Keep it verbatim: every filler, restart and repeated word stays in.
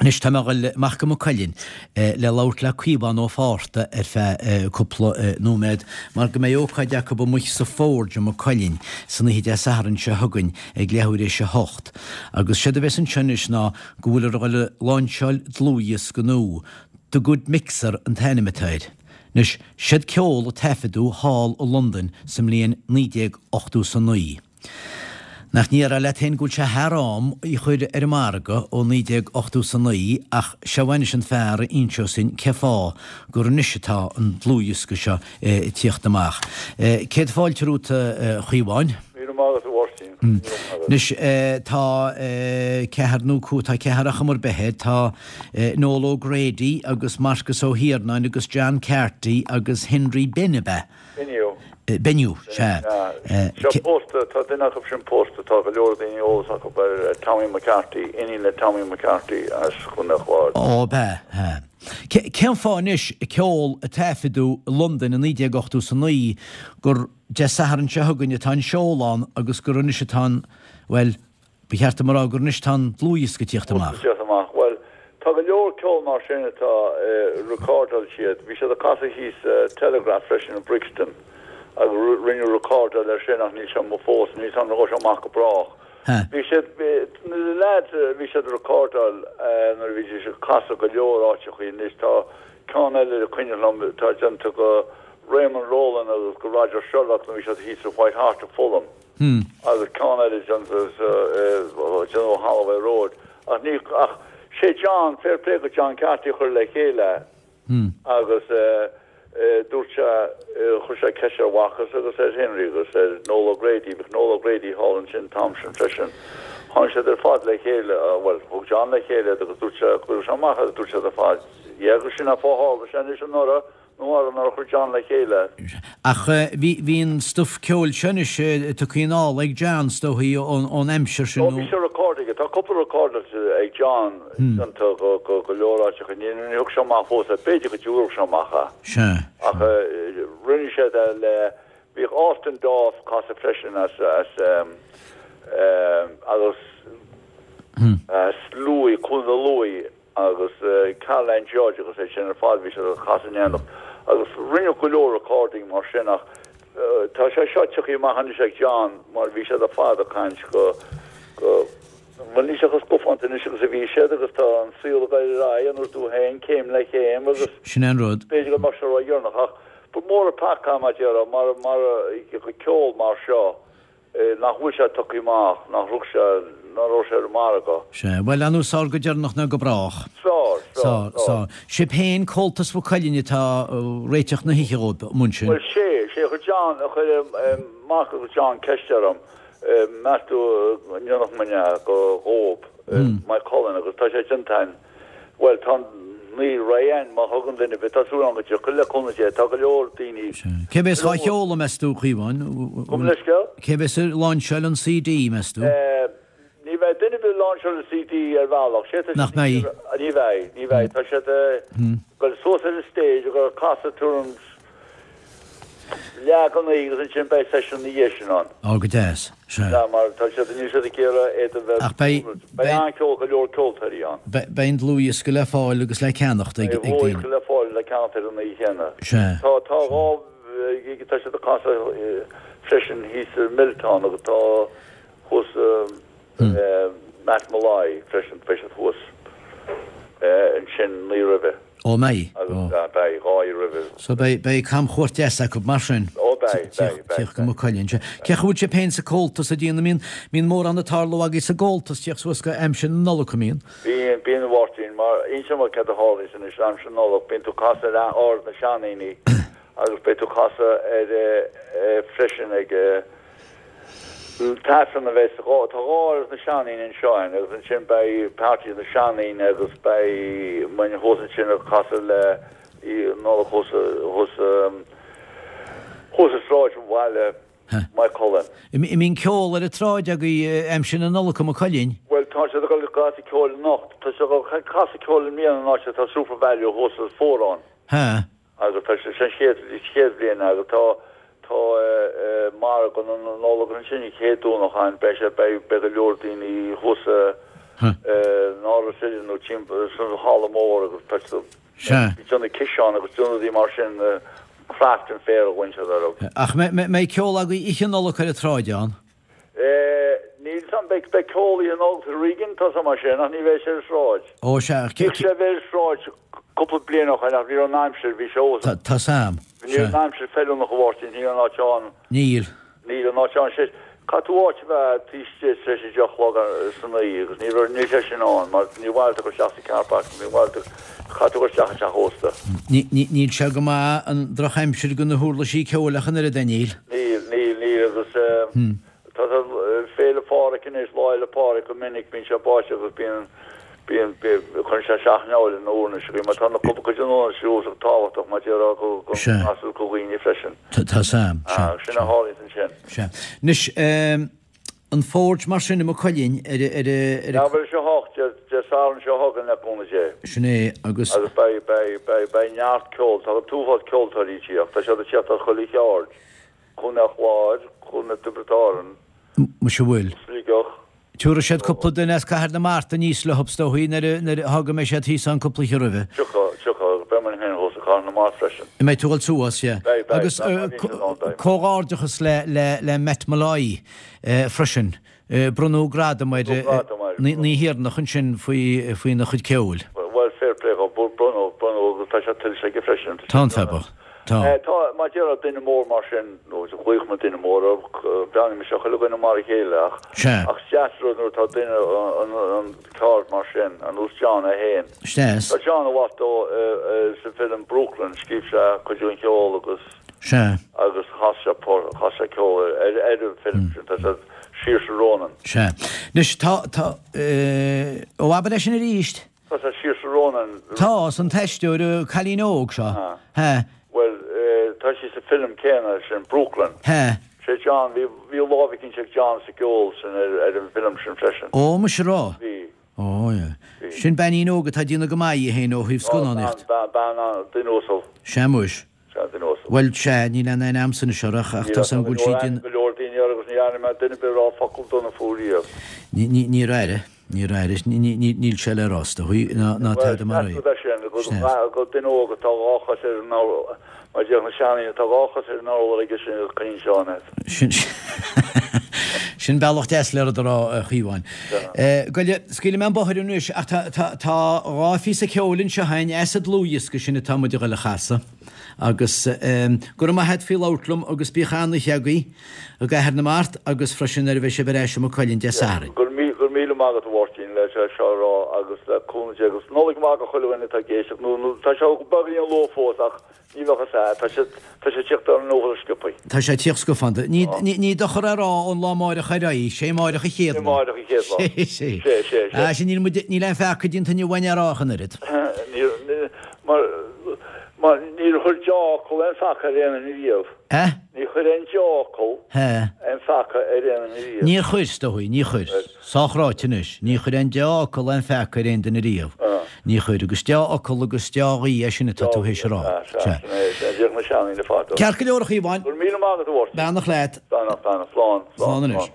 Anois tá mé ag dul amach go Maigh Cuilinn le labhairt le Caomhán Ó Fátharta ar feadh cúpla nóiméad mar go mbeidh ócáid acu amuigh sa Forge i Maigh Cuilinn san oíche Dé Sathairn seo chugainn ag leathuair éis a hocht. Agus séard a bheas ansin anois ná go bhfuiltear ag dul a láinseáil dlúthdhiosca nua, The Good Mixer an t-ainm atá air. Anois, siad ceol a taifeadadh thall i Londain sa mbliain naoi déag ochtó 's a naoi. Nach ndéarfá leat féin go bhfuil sé thar am í chur ar an margadh ó naoi déag ochtó 's a naoi ach seo anois an fear a inseos duinn cé fáth gur anois atá an dlúthdhiosca seo ag tíocht amach. Céad fáilte romhat a Chaomháin. Míle maith agat a Mháirtín. Míle maith agat. Anois tá ceathair nó cúig, tá ceathair ar chuma ar bith air, tá Noel O'Grady agus Marcus Ó hIarnáin agus John Carty agus Henry Benn ab ea? Bennu. Bennu, sea. Seo pósta, tá duine acu sin pósta, tá go leor daoine eolas acu ar Tommy McCarthy, iníon le Tommy McCarthy as Contae an Chláir. Ó, ab ea, ea. Cén fáth anois ceol a taifeadadh i Londain i naoi déag ochtó 's a naoi gur Dé Sathairn seo chugainn atá an seoladh ann agus gur anois atá an, bhuel, Ba cheart dom a rá gur anois tá an dlúthdhiosca ag tíocht amach. Ag tíocht amach. Bhuel, tá go leor ceol mar sin atá, recordáil siad. Bhí siad ag casadh thíos sa Telegraph freisin i Brixton agus rinneadh recordáil air sin ach níl sé amuigh fós, níl 's agam an ngabhfaidh sé amach go brách. Bhí siad, na leaids, bhí siad ag recordáil nuair a bhí siad ag casadh go leor áiteachaí. Anois tá ceann eile is cuimhin liom atá déanta go Raymond Rowland agus go Roger Sherlock nuair a bhí siad thíos sa White Hart i Fulham. agus ceann eile déanta déanamh Holloway Road ach ní ach sé John fair play go John Carty a chuir le chéile agus dúirt sé chuir sé ceist ar Mharcus agus ar Henry agus ar Noel O'Grady bhíodh Noel O'Grady thall ansin an t-am sin freisin tháinig siad ar fad le chéile bhuel thug John le chéile iad agus dúirt sé chuir sé amach agus dúirt siad ar fad yeah agus sin an fáth tharla sé anois anuraidh Nó ar nár chuir John le chéile. Ach bhí, bhí an stuif ceoil seo anois tugtha anall ag John, is dóichí, ón aimsir sin nó. Ó bhí sé recorded aige. Tá cúpla recordáilte ag John déanta go, go, go leor áiteacha. Ní, ní thug sé amach fós é. B'fhéidir go dtabharfadh sé amach é. Sea. Ach rinne siad é le, bhíodh Austin Dawes ag casadh freisin as, as, agus as Lúi, Cluain na Luaí. agus Caroline Judge agus é sin ar fad, bhí siad ag casadh in éineacht agus rinneadh go leor recording mar sin ach tá sé seo tiocfaidh amach anois ag John mar bhí siad ar fad ag caint go, go, bhuel níl siad chomh scafánta anois agus a bhí siad agus tá an saol ag dul ar aghaidh an dtuigeann tú féin, céim le chéim agus Sin é an rud. b'fhéidir go mbeadh sé ródheireanach ach ba mhór an peaca mar a déarfá mar, mar ceol mar seo. Nach bhfuil sé tugtha amach, nach raibh sé, nach raibh sé ar an margadh. Sea, bhuel, ar ndóigh is fearr go deireanach ná go brách. Is fearr, is fearr, is fearr. Sibh féin, Comhaltas Mhaigh Cuilinn atá ag réiteach na hoíche dhóibh, amuigh ansin. Bhuel, sé, sé, chuir John, chuir Marcus agus John ceist orm, meas tú an ndéanfadh muidne é go dhóib, Maigh Cuilinn, agus tá sé déanta againn. Bhuel, tá an naoi raghainn, má thugann duine ar bith, tá súil agam go dtiocfaidh, le cúnamh Dé, tá go leor daoine. Cé bheas á sheoladh, meas tú, a Chaomháin? Gabh mo leithscéal? Cé bheas ag láinseáil an CD, meas tú? Ní bheidh duine ar bith ag láinseáil an CD ar bhealach. Sé tá Nach mbeidh? Ní bheidh, ní bheidh. Tá siad ag dul suas ar an stage agus ag casadh tuairim leath go naoi agus ansin beidh seisiún ina dhiaidh sin ann. Ó, go deas. Sea. Sea, mar tá siad, níl siad ag iarraidh iad a bheith Ach beidh, beidh beidh. an-cheol, go leor ceoltóirí ann. Beidh, beidh an dlúthdhiosca le fáil agus le ceannacht ag, Beidh ag daoine. dlúthdhiosca le fáil le ceannacht ar an oíche chéanna. Sea. Tá, tá dhá, tá siad ag casadh freisin thíos i Milltown agus tá thuas i Matt Molloy freisin, beidh siad thuas ansin an oíche roimhe. Ó mbeidh. Agus beidh, dhá oíche roimhe. So beidh, beidh camchuairt deas acu mar sin. Ó beidh, beidh, beidh. Tíocht go Maigh Cuilinn. Cén chaoi a bhfuil sibh féin sa Comhaltas ag déanamh, mbíonn, mbíonn mórán ag tarlú agaibh sa gComhaltas tíocht suas go aimsir na Nollag, an mbíonn? Bíonn, bíonn a Mháirtín, mar inseoidh mé céard a tharlaíonns anois aimsir na Nollag, bíonn tú ag casadh ar Áras na Seandaoine agus beidh tú ag casadh ar eh freisin ag eh, An t-aifreann a bheas dhá, tá dhá áras na seandaoine anseo againn agus ansin beidh party na seandaoine agus beidh muinn thuas ansin ag casadh le Nollaig thuas, thuas, thuas i sráid bhaile Maigh Cuilinn. An mbíonn ceol ar an tsráid agaibh aimsir na Nollag i Maigh Cuilinn? Bhuel tá siad ag dul ag casadh ceoil anocht, tá siad ag dul ag casadh ceoil i mbliana in áit atá Supervalu thuas sa Fórán. Ha. Agus tá sé sin chéad chéad bhliain agus tá tá margadh na Nollag ansin an chéad Domhnach ann beidh sé beidh beidh go leor daoine thuas In Áras Uidhilín nó timpeall san halla mór agus tá siad Sea. ag déanamh ciseán agus déanamh rudaí mar sin, craft and fair a bhain siad orthu. Ach mbeidh ceol agaibh Oíche Nollag ar an tsráid ann? Níl 's a'm, beidh ceol Oíche Nollag sa Regan, tá 's a'm mar sin, ach ní bheidh sé ar an sráid. Ó sea, Bhíodh sé a bheith ar an sráid cúpla bliain ó shoin ach ní raibh an aimsir, bhí sé os. Tá 's a'm, Ní raibh an aimsir feiliúnach a Mháirtín, níl an áit ann. Níl. Níl an áit ann, sé, caithfidh tú áit a bheith taobh istigh tar éis a deich a chlog san oíche agus ní raibh, níl sé sin ann mar ní mhaith leat a dhul isteach sa car park, ní mhaith leat, caithfidh tú a dhul isteach i dteach ósta. Ní, ní, níl sé go maith an drochaimsir do na huirlisí ceoil ach an oiread, a níl? Níl, níl, níl agus eh, tá tá Féile Phádraig anois, Lá Fhéile Pádraig go minic bíonn sé báisteach agus bíonn bíonn cuireann sé isteach an na huirlisí mar tá na cúpla cuid den uirlisí tábhachtach mar déarfá go go Sea. go go dhaoine freisin. Tá tá 's a'm, sea. Ah, sin a tharlaíonn ansin. Sea. Anois, ehm, an Forge mar sin i Maigh Cuilinn ar a- ar a- ar a- Leathuair tar éis a hocht Dé Dé Sathairn seo chugainn le cúnamh Dé. Sin é agus. Agus beidh beidh beidh beidh neart ceoil, tá an t-uafás ceoltóirí ag tíocht, tá siad ag tíocht as chuile cheard. Contae an Chláir, Contae Tiobraid Árann. Muise bhfuil. Sligeach. Tabharfaidh siad cúpla duine as Cathair na Mart aníos leo is dóigh nuair a nuair a thagann mbeidh siad thíos ann cúpla oíche roimhe. Tiocfaidh, tiocfaidh, agus beidh mé féin thuas i Cathair na Mart freisin. An mbeidh tú ag dul suas, yeah. Beidh, beidh, Agus beidh, beidh, beidh, beidh, beidh. comhghairdeachas le le le Matt Molloy freisin. Bronnadh gradam air Bronnadh gradam air. an oíche dheireanach ansin faoi faoina chuid ceoil. Bhuel, fair play dhó, bronnadh, bronnadh agus tá sé tuillte aige freisin. Tá an feabhas. Tá. Tá, mar déarfá duine mór mar sin, nó glaofaidh mé duine mór air, breathnaíonn mise ar chuile dhuine mar a chéile ach, Sea. ach is deas rud nuair atá duine an, an ceard mar sin, ar nós John é féin. Is deas. Tá John i bhfad ó sa film Brooklyn, scríobh sé cuid den cheol agus, Sea. agus chas sé por, chas sé ceol ar, ar, ar an film sin, tá sé Saoirse Ronan. Sea. Anois tá, tá, eh, ó abair é sin arís. Tá sé Saoirse Ronan. Tá, an t-aisteoir cailín óg seo. Ah. He. Bhuel, tá sí sa film céanna sin, Brooklyn. He. Sé John, bhí bhí lámh éicint ag John sa gceol sin ar ar an bhfilm sin freisin. Ó, muise rá. Bhí. Ó, yeah. Bhí. Sin beainín óg atá ag déanamh go maith í féin ó thaobh scannánaíocht. Bean, bean, bean, duine uasal. Sea muis. Sea, duine uasal. Bhuel, sea, níl aon aon am san seo ach ach tá 's agam go bhfuil sí déanamh. Go leor daoine air agus ní dhearna mé duine ar bith a rá focal dona fúithi riamh. Ní ní níor aire, níor aire, ní ní ní níl sé le rá is dóigh ná ná tada mar é. Bhuel, is sin, go go duine óg atá dhá chos ar an urlár, mar déarfadh na seandaoine, tá dhá chos ar an urlár aige sin agus coinníonn sé ann iad. Sin sin bealach deas le rud a rá, a Chaomháin. Goile, scaoilfidh mé an bóthar anois ach tá tá tá dhá phíosa ceoil anseo againn as an dlúthdhiosca sin atá muid a ghoil a chasadh. Agus go raibh maith agat faoi labhairt liom agus bíodh an-oíche agaibh i gCathair na Mart agus freisin nuair a bheidh sibh ar ais i Maigh Cuilinn Dé Sathairn. Go raibh míle maith agat a Mháirtín le sé seo a rá agus le cúnamh Dé agus Nollaig mhaith do chuile dhuine atá ag éisteacht nó nó tá sé beagáinín luath fós ach ní bheadh fhios a'd, tá sé tá sé ag tíocht ar an uafás sciobthaí. Tá sé ag tíocht sciobtha. Ní ní ní dochar a rá ón lá amáireach ar aghaidh, sé amáireach an chéad Sé lá. amáireach an chéad lá. Sé sé. Sé sé sé. Ah sin níl muid níl aon pheaca déanta inniu againn a rá ach an oiread. Níl ní mar mar níor chuir deá-fhocal aon pheaca ar aon duine riamh. Eh? Ní chuir aon deá-fhocal He. aon pheaca ar aon duine riamh. Níor chuir, is dóigh, ní chuir. Sách ráite anois. Ní chuir aon deá-fhocal aon pheaca ar aon duine riamh. Ah. Ní chuir, agus deá-fhocal agus dea-ghuí é sin atá tú théis a rá. Ah, sea, sin é, sin é, déarfadh na seandaoine fadó. Ceart go leor a Chaomháin. Go raibh míle maith agat a Mháirtín. Beannacht leat. Beannacht, beannacht, slán, Slán anois.